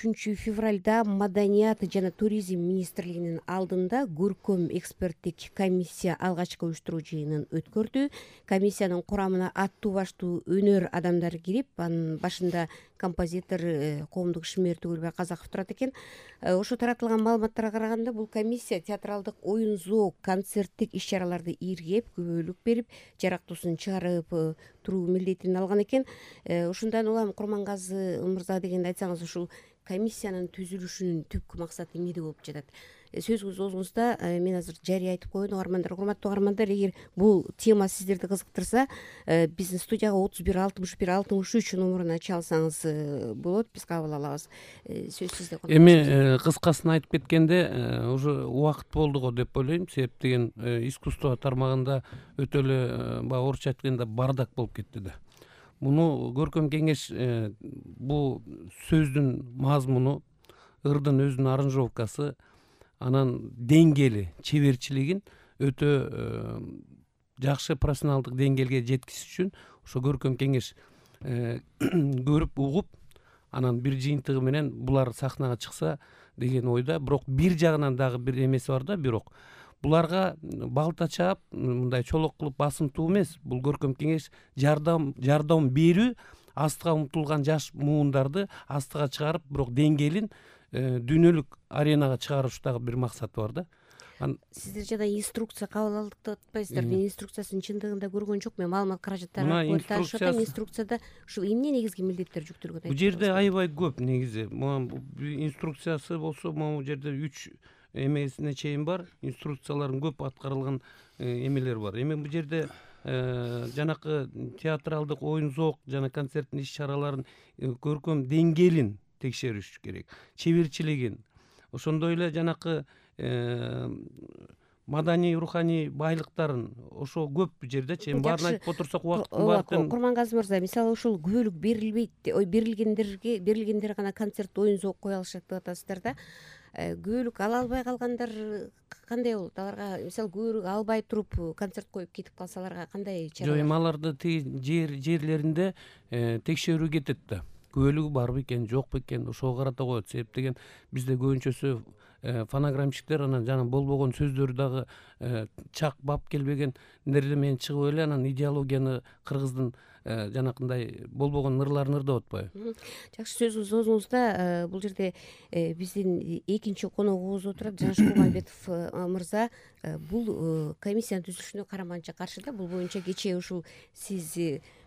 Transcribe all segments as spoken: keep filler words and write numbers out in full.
үчүнчү февралда Маданият жана туризм министрлигинин алдында көркөм эксперттик комиссия алгачкы уюштуруу жыйынын өткөрдү. Комиссиянын курамына аттуу баштуу өнөр адамдары кирип, анын башында композитор Коомдук Ишмер Түгүлбай Казаков турат экен. Ошо таратылган маалыматтарга караганда, бул комиссия театралдык оюн зоок, концерттик иш-чараларды иргеп, күбөлүк берип, жарактуусун чыгарып туруу милдетин алган экен. Ушундан улам Курмангазы мырза дегенди айтсаңыз, ушул комиссиянын түзүлүшүнүн түпкү максаты эмнеде болуп жатат? Сөзүңүз оозуңузда мен азыр жарыя айтып коеюн, угармандар, урматтуу угармандар, эгер бул тема сиздерди кызыктырса, биздин студияга отуз бир алтымыш бир алтымыш үч номуруна чалсаңыз болот, биз кабыл алабыз. Сөз сизде. Эми кыскасын айтып кеткенде, уже убакыт болду го деп ойлойм. Себеп деген искусство тармагында өтө эле баягы орусча айтканда бардак болуп кетти да. Муну көркөм кеңеш бул сөздүн мазмуну, ырдын өзүнүн аранжировкасы, анан деңгээли, чеберчилигин өтө жакшы профессионалдык деңгээлге жеткизиш үчүн ошо көркөм кеңеш көрүп, угуп, анан бир жыйынтыгы менен булар сахнага чыкса деген ойда. Бирок бир жагынан дагы бир эмеси бар да, бирок буларга балта чаап, мындай чолок кылып басымтуу эмес. Бул көркөм кеңеш жардам жардам берүү, астыга умтулган жаш муундарды астыга чыгарып, бирок деңгээлин дүйнөлүк аренага чыгарыш дагы бир максаты бар да. Сиздер жада инструкция кабыл алдык деп атпайсыздар? Мен инструкциясын чындыгында көргөн жокмун. Маалымат каражаттары аркылуу таанышып атам. Инструкцияда ушул эмне негизги милдеттер жүктөлгөн? Бул жерде аябай көп негизи. Инструкциясы болсо, могу жерде үч эмесине чейин бар. Инструкциялардын көп аткарылган эмелер бар. Эми бул жерде жанакы театралдык оюн зоок жана концерттин иш-чараларын көркөм деңгээлин текшериш керек, чеберчилигин. Ошондой эле жанакы маданий руханий байлыктарын ошо көп жерде чейин баарын айтып отурсак убакыттын баардыгын. Курмангазы мырза, мисалы ушул күбөлүк берилбейт, ой берилгендерге берилгендер гана концерт оюн зоок кое алышат деп атасыздар да. Күбөлүк ала албай калгандар кандай болот? Аларга мисалы күбөлүк албай туруп концерт коюп кетип калсаларга кандай чара? Жок, эми аларды жер жерлеринде текшерүү кетет да. Күбөлүгү барбы экен, жокпу экен, ошого карата коет. Себеп деген бизде көбүнчөсү фонограммщиктер анан жана болбогон сөздөрү дагы чак бап келбегендерди менен чыгып эле анан идеологияны кыргыздын жанакындай болбогон ырларын ырдап атпайбы? Жакшы, сөзүңүз оозуңузда. Бул жерде биздин экинчи коногубуз отурат, Жаныш Курманбетов мырза. Бул комиссиянын түзүлүшүнө караманча каршы да. Бул боюнча кечээ ушул сиз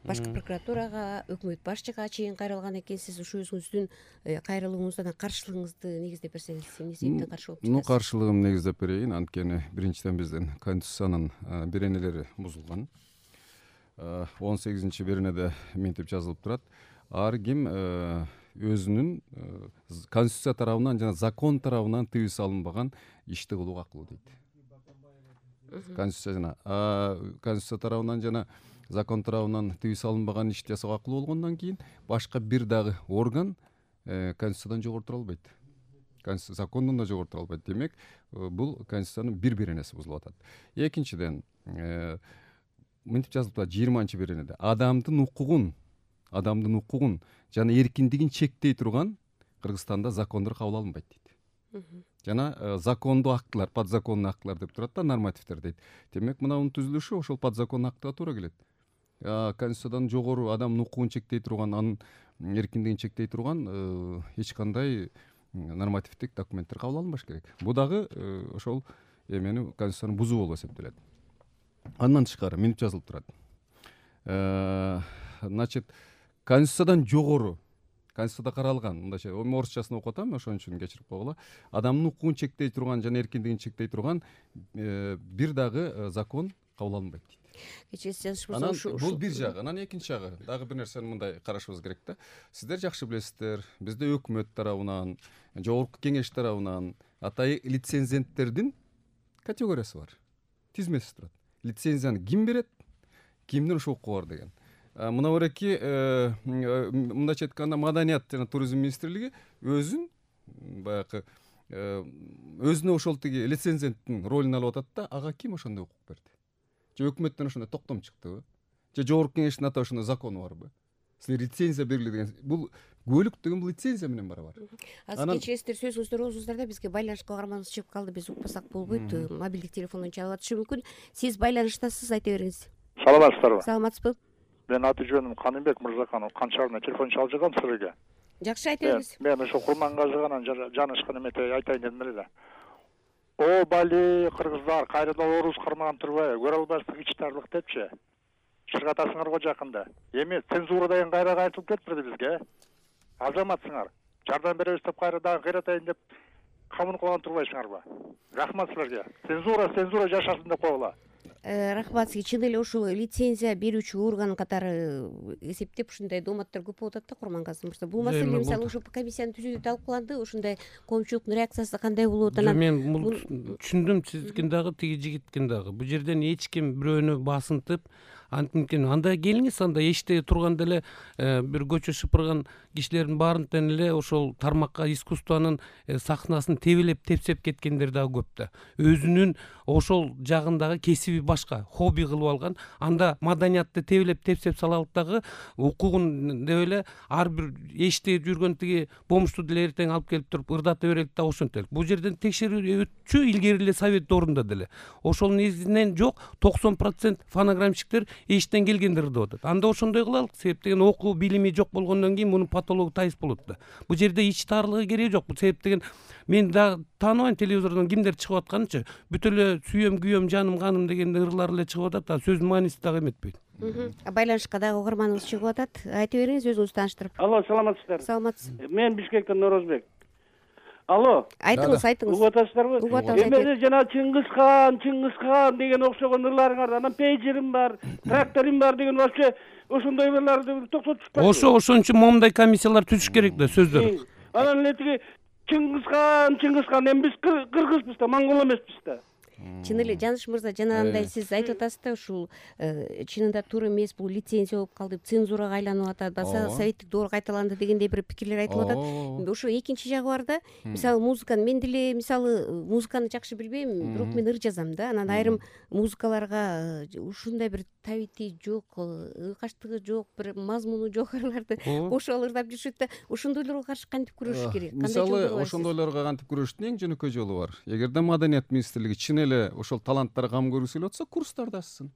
башкы прокуратурага, өкмөт башчыга чейин кайрылган экенсиз. Ушу өзүңүздүн кайрылууңуздан каршылыгыңызды негиздеп берсеңиз, эмне себептен каршы болуп жатасыз? Ну, каршылыгым негиздеп берейин. Анткени биринчиден биздин конституциянын беренелери бузулган. он сегизинчи беренеде мынтип жазылып турат: ар ким өзүнүн конституция тарабынан жана закон тарабынан тыюу салынбаган ишти кылууга акылуу дейт. Конституция жана конституция тарабынан жана закон тарабынан тыюу салынбаган ишти жасоого акылуу болгондон кийин башка бир дагы орган конституциядан жогору тура албайт. Закондон да жогору тура албайт. Демек, бул конституциянын бир беренеси бузулуп атат. Экинчиден, мынтип жазылып турат жыйырманчы беренеде: адамдын укугун, адамдын укугун жана эркиндигин чектей турган Кыргызстанда закондор кабыл алынбайт дейт. Жана закондуу актылар, подзаконный актылар деп турат да, нормативдер дейт. Демек, мынанын түзүлүшү ошол подзаконный актыга туура келет. Конституциядан жогору адамдын укугун чектей турган, анын эркиндигин чектей турган эч кандай нормативдик документтер кабыл алынбаш керек. Бул дагы ошол эмени конституцияны бузуу болуп эсептелет. Андан тышкары мынтип жазылып турат: значит, конституциядан жогору, конституцияда каралган, мындайча орусчасын окуп атам, ошон үчүн кечирип койгула. Адамдын укугун чектей турган жана эркиндигин чектей турган бир дагы закон кабыл алынбайт дейт. Анан бул бир жагы. Анан экинчи жагы, дагы бир нерсени мындай карашыбыз керек да. Сиздер жакшы билесиздер, бизде өкмөт тарабынан, жогорку кеңеш тарабынан атай лицензенттердин категориясы бар. Тизмеси турат. Лицензияны ким берет, кимдин ушул укугу бар деген. Мына береки мындайча айтканда Маданият жана туризм министрлиги өзүн баягы өзүнө ошол тиги лицензенттин ролун алып атат да, ага ким ошондой укук берди? Же өкмөттөн ошондой токтом чыктыбы? Же жогорку кеңештин ата ошондой закону барбы? Силер лицензия бергиле деген. Бул көлүк деген бул лицензия менен барабар. азыр кечиресиздер, сөзүңүздү угуңуздар да бизге байланышка каарманыбыз чыгып калды, биз укпасак болбойт, мобилдик телефондон чалып атышы мүмкүн. Сиз байланыштасыз, айта бериңиз. Саламатсыздарбы? Саламатсызбы? Мен аты жөнүм Канымбек Мырзаканов, Кан шаарынан телефон чалып жаткам силерге. Жакшы, айта бериңиз. Мен ошо Курмангажыганан жанышкан эмете айтайын дедим эле. О бали кыргыздар, кайрадан орус кармаган турбайбы? Көрө албастык ичтарлык депчи. Чыргатасыңарго жакында. Эми цензура деген кайра айтылып кетпирди бизге. Азаматсыңар. Жардам беребиз деп кайра дагы кыйратайын деп камын кылган турбайсыңарбы? Рахмат силерге. Цензура, цензура жашасын деп койгула. Рахмат сизге. Чын эле ушул лицензия берүүчү орган катары эсептеп ушундай дооматтар көп болуп атат да, Курмангазы мырза. Бул маселе мисалы ушул комиссиянын түзүүдө талкууланды, ушундай коомчулуктун реакциясы кандай болот? Анан мен бул түшүндүм, сиздикин дагы, тиги жигиткин дагы. Бул жерден эч ким бирөөнү басынтып антимкин анда келиңиз, анда эшикте турганда эле бир көчө шыпырган кишилердин баарын тең эле ошол тармакка искусствонун сахнасын тебелеп тепсеп кеткендер дагы көп да. Өзүнүн ошол жагындагы кесиби башка, хобби кылып алган, анда маданиятты тебелеп тепсеп салалык дагы укугун деп эле ар бир эшикте жүргөн тиги бомушту деле эртең алып келип туруп ырдата берелик да ошентелик. Бул жерден текшерүү өтчү илгери эле совет орунда деле. Ошол негизинен жок токсон процент фонограммщиктер эшиктен келгендер деп атат. Анда ошондой кылалык, себеп деген окуу билими жок болгондон кийин мунун патологу тайыз болот да. Бул жерде ич таарлыгы кереги жок. Бул себеп деген мен да тааныбайм, телевизордон кимдер чыгып атканынчы, бүт эле сүйөм, күйөм, жаным, каным деген ырлар эле чыгып атат, а сөздүн мааниси дагы эметпейт. Байланышка дагы угарманыбыз чыгып атат. Айта бериңиз, өзүңүздү тааныштырып. Алло, саламатсыздар? Саламатсыз. Мен Бишкектен Норозбек. Алло. Айтыңыз, айтыңыз. Угуп атасыздарбы? Угуп атабыз. Эми жана Чыңгызхан, Чыңгызхан деген окшогон ырларыңар, анан пейджерим бар, тракторим бар деген вообще ошондой ырларды токтотушпайбы? Ошо ошон үчүн момундай комиссиялар түзүш керек да, сөздөр. Анан эле тиги Чыңгызхан, Чыңгызхан, эми биз кыргызбыз да, монгол эмеспиз да. Чын эле Жаныш мырза, жанагындай сиз айтып атасыз да, ушул чынында туура эмес, бул лицензия болуп калды, цензурага айланып атат, баса советтик доор кайталанды дегендей бир пикирлер айтылып атат. Ошо экинчи жагы бар да. Мисалы музыканы мен деле мисалы музыканы жакшы билбейм, бирок мен ыр жазам да. Анан айрым музыкаларга ушундай бир табити жок, ыкаштыгы жок, бир мазмуну жок ырларды кошуп алып ырдап жүрүшөт да. Ошондойлорго каршы кантип күрөшүш керек? Мисалы ошондойлорго кантип күрөштүн эң жөнөкөй жолу бар. Эгерде Маданият министрлиги чын эле ошол таланттарга кам көргүсү келип атса, курстарды ачсын.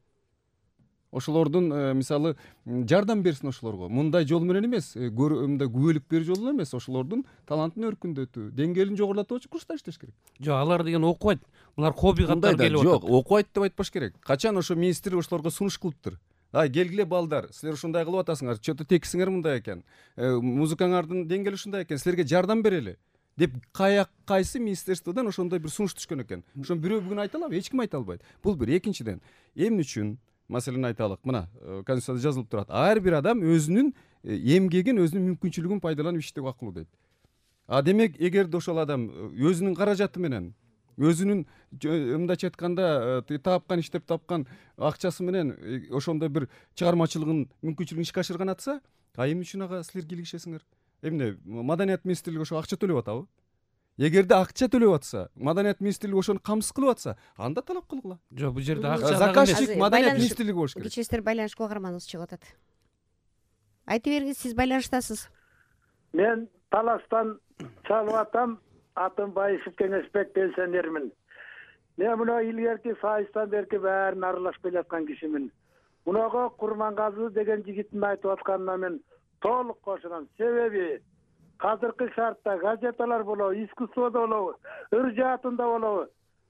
Ошолордун мисалы жардам берсин ошолорго. Мындай жол менен эмес, мындай күбөлүк берүү жолу эле эмес, ошолордун талантын өркүндөтүү, деңгээлин жогорулатуучу курстар иштеш керек. Жок, алар деген окубайт. Булар хобби катары келип атат. Жок, окубайт деп айтпаш керек. Качан ошо министр ошолорго сунуш кылыптыр. Ай, келгиле балдар, силер ушундай кылып атасыңар, чөтө текисиңер мындай экен. Музыкаңардын деңгээли ушундай экен, силерге жардам берели деп каяк кайсы министерстводон ошондой бир сунуш түшкөн экен. Ошону бирөө бүгүн айта алабы? Эч ким айта албайт. Бул бир. Экинчиден, эмне үчүн маселени айталык. Мына, Конституцияда жазылып турат. Ар бир адам өзүнүн эмгегин, өзүнүн мүмкүнчүлүгүн пайдаланып иштөөгө укуктуу дейт. А демек, эгерде ошол адам өзүнүн каражаты менен, өзүнүн мындайча айтканда тапкан, иштеп тапкан акчасы менен ошондой бир чыгармачылыгын, мүмкүнчүлүгүн ишке ашырган атса, а эмне үчүн ага силер кийлигишесиңер? Эмне, Маданият министрлиги ошо акча төлөп атабы? Эгерде акча төлөп атса, Маданият министрлиги ошону камсыз кылып атса, анда талап кылгыла. Жок, бул жерде акча заказчик Маданият министрлиги болуш керек. Кечиресиздер, байланышка угарманыбыз чыгып атат. Айта бериңиз, сиз байланыштасыз. Мен Таластан чалып атам, атым Байышев Кеңешбек, пенсионермин. Мен мына илгерки сайыстан берки баарын аралашып келаткан кишимин. Мунага Курмангазы деген жигиттин айтып атканына мен толук кошулам. Себеби азыркы шартта газеталар болобу, искусстводо болобу, ыр жаатында болобу,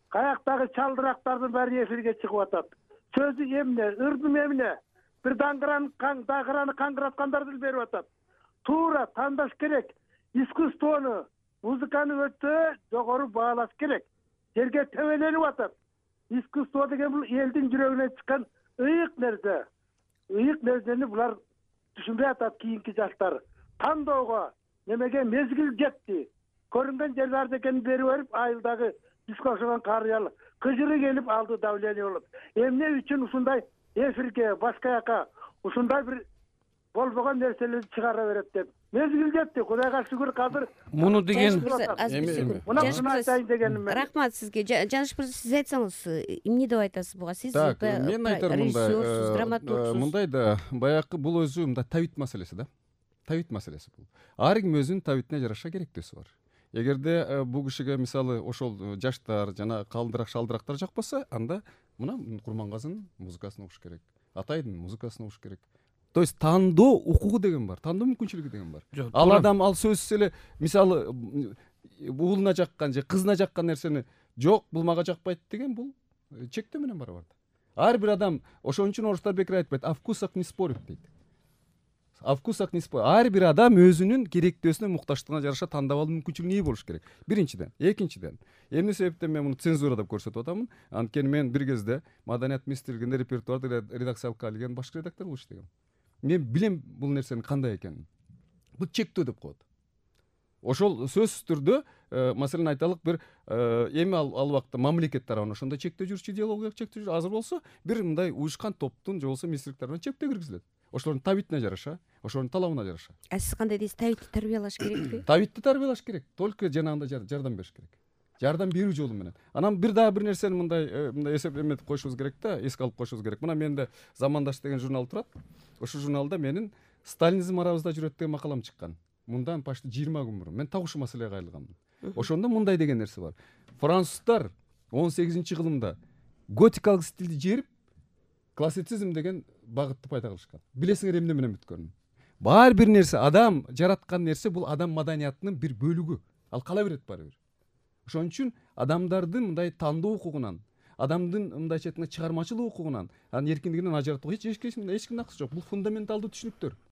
каяктагы чалдырактардын баары эфирге чыгып атат. Сөзү эмне, ырдым эмне? Бир даңгыраны дагыраны каңгыраткандарды берип атат. Туура тандаш керек. Искусствону, музыканы өтө жогору баалаш керек. Жерге төбөлөнүп атат. Искусство деген бул элдин жүрөгүнөн чыккан ыйык нерсе. Ыйык нерсени булар түшүнбөй атат кийинки жаштар. Тандоого немеге мезгил жетти. Көрүнгөн жерлерди экенин берип берип, айылдагы бизге окшогон карыял кыжыры келип алды давление болуп. Эмне үчүн ушундай эфирге, башка жака ушундай бир болбогон нерселерди чыгара берет деп. Мезгил жетти. Кудайга шүгүр, азыр муну деген рахмат сизге. Жаныш мырза, сиз айтсаңыз, эмне деп айтасыз буга? Сиз мен айтарым мындай, мындай да баягы бул өзү мындай табит маселеси да. табит маселеси бул. Ар ким өзүнүн табитине жараша керектөөсү бар. Эгерде бул кишиге мисалы ошол жаштар жана калдырак шалдырактар жакпаса, анда мына Курмангазынын музыкасын угуш керек, Атайдын музыкасын угуш керек. То есть тандоо укугу деген бар, тандоо мүмкүнчүлүгү деген бар. Ал адам ал сөзсүз эле мисалы уулуна жаккан же кызына жаккан нерсени жок, бул мага жакпайт деген бул чектөө менен барабар. Ар бир адам ошон үчүн орустар бекер айтпайт, о вкусах не спорят дейт. О вкусах не спорят. Ар бир адам өзүнүн керектөөсүнө, муктаждыгына жараша тандап алуу мүмкүнчүлүгүнө ээ болуш керек. Биринчиден, экинчиден, эмне себептен мен муну цензура деп көрсөтүп атамын? Анткени мен бир кезде Маданият министрлигинде репертуарды редакциялыкка алган башкы редактор болуп иштегем. Мен билем бул нерсенин кандай экенин. Бул чектөө деп коет. Ошол сөзсүз түрдө, маселен айталык, бир эми ал убакта мамлекет тарабынан ошондой чектөө жүрчү, идеологиялык чектөө жүрчү. Азыр болсо бир мындай уюшкан топтун же болбосо министрлик тарабынан чектөө киргизилет. Ошолордун табитине жараша, ошолордун талабына жараша. А сиз кандай дейсиз? Табитти тарбиялаш керекпи? Табитти тарбиялаш керек. Только жанагындай жардам бериш керек. Жардам берүү жолу менен. Анан бир дагы бир нерсени мындай мындай эсеп эметип коюшубуз керек да, эске алып коюшубуз керек. Мына менде Замандаш деген журнал турат. Ошол журналда менин Сталинизм арабызда жүрөт деген макалам чыккан. Мындан почти жыйырма күн мурун. Мен так ушул маселеге кайрылганмын. Ошондо мындай деген нерсе бар. Француздар он сегизинчи кылымда готикалык стилди жээрип, классицизм деген багытты пайда кылышкан. Билесиңер эмне менен бүткөнүн? Бар бир нерсе, адам жараткан нерсе бул адам маданиятынын бир бөлүгү. Ал кала берет баары бир. Ошон үчүн адамдардын мындай тандоо укугунан, адамдын мындайча айтканда чыгармачылык укугунан, анын эркиндигинен ажыратууга эч эч кимдин акысы жок. Бул фундаменталдуу түшүнүктөр.